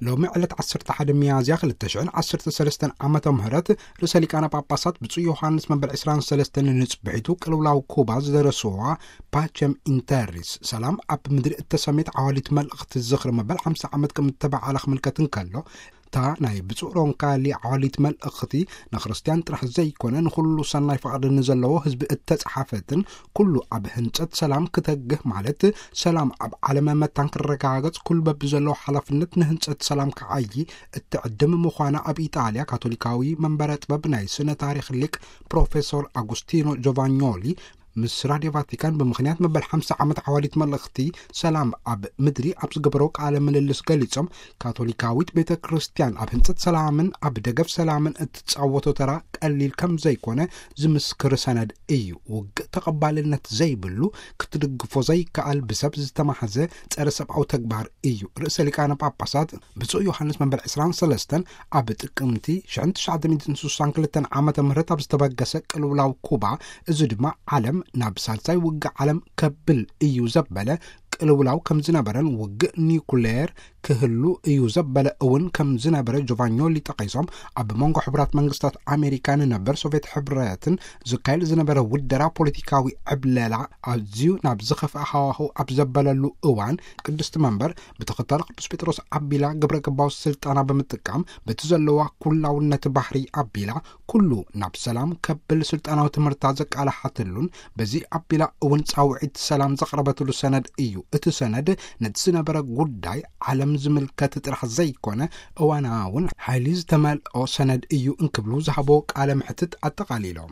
ሎሚ ዕለት ዓሰርተ ሓደ ሚያዝያ ክልተ ሽሕን ዓሰርተ ሰለስተን ዓመተ ምህረት ርእሰ ሊቃነ ጳጳሳት ብፁዕ ዮሃንስ መበል ዕስራን ሰለስተን ንጽብሒቱ ቅልውላው ኩባ ዝደረስዋ ፓቸም ኢንተሪስ፣ ሰላም ኣብ ምድሪ እተሰሜት ዓዋሊት መልእኽቲ ዝኽሪ መበል ሓምሳ ዓመት ከም እተበዓለ ክምልከት እንከሎ፣ እታ ናይ ብፁዕ ሮንካሊ ዓዋሊት መልእኽቲ ንክርስትያን ጥራሕ ዘይኮነ ንኹሉ ሰናይ ፍቓድ ንዘለዎ ህዝቢ እተጻሓፈትን ኩሉ ኣብ ህንጸት ሰላም ክተግህ ማለት ሰላም ኣብ ዓለም መታን ክረጋገጽ ኩሉ በብዘለዎ ሓላፍነት ንህንጸት ሰላም ክዓዪ እትዕድም ምዃና ኣብ ኢጣልያ ካቶሊካዊ መንበረ ጥበብ ናይ ስነ ታሪኽ ሊቅ ፕሮፌሶር ኣጉስቲኖ ጆቫኞሊ ምስ ራድዮ ቫቲካን ብምኽንያት መበል ሓምሳ ዓመት ዓዋሊት መልእኽቲ ሰላም ኣብ ምድሪ ኣብ ዝገበሮ ቃለ ምልልስ ገሊጾም፣ ካቶሊካዊት ቤተ ክርስቲያን ኣብ ህንጸት ሰላምን ኣብ ደገፍ ሰላምን እትጻወቶ ተራ ቀሊል ከም ዘይኮነ ዝምስክር ሰነድ እዩ። ውግእ ተቐባልነት ዘይብሉ፣ ክትድግፎ ዘይከኣል፣ ብሰብ ዝተማሕዘ ጸረ ሰብኣዊ ተግባር እዩ። ርእሰ ሊቃነ ጳጳሳት ብፁዕ ዮሃንስ መበል ዕስራን ሰለስተን ኣብ ጥቅምቲ ሽሕን ትሽዓተ ሚእትን ስሳን ክልተን ዓመተ ምህረት ኣብ ዝተበገሰ ቅልውላው ኩባ፣ እዚ ድማ ዓለም ናብ ሳልሳይ ውግእ ዓለም ከብል እዩ ዘበለ ቅልውላው ከም ዝነበረን ውግእ ኒኩሌር ክህሉ እዩ ዘበለ እውን ከም ዝነበረ ጆቫኞሊ ጠቒሶም፣ ኣብ መንጎ ሕቡራት መንግስታት ኣሜሪካ ንነበር ሶቪየት ሕብረትን ዝካየድ ዝነበረ ውደራ ፖለቲካዊ ዕብለላ ኣዝዩ ናብ ዝኸፍአ ሃዋህው ኣብ ዘበለሉ እዋን፣ ቅድስቲ መንበር ብተኸታሊ ቅዱስ ጴጥሮስ ኣቢላ ግብረ ገባዊ ስልጣና ብምጥቃም በቲ ዘለዋ ኩላውነት ባህሪ ኣቢላ ኩሉ ናብ ሰላም ከብል ስልጣናዊ ትምህርታ ዘቃላሓትሉን በዚ ኣቢላ እውን ጻውዒት ሰላም ዘቕረበትሉ ሰነድ እዩ። እቲ ሰነድ ነቲ ዝነበረ ጉዳይ ዓለም ዝምልከት ጥራሕ ዘይኮነ እዋናውን ሓይሊ ዝተመልኦ ሰነድ እዩ እንክብሉ ዝሃቦ ቃለ ምሕትት ኣጠቓሊሎም።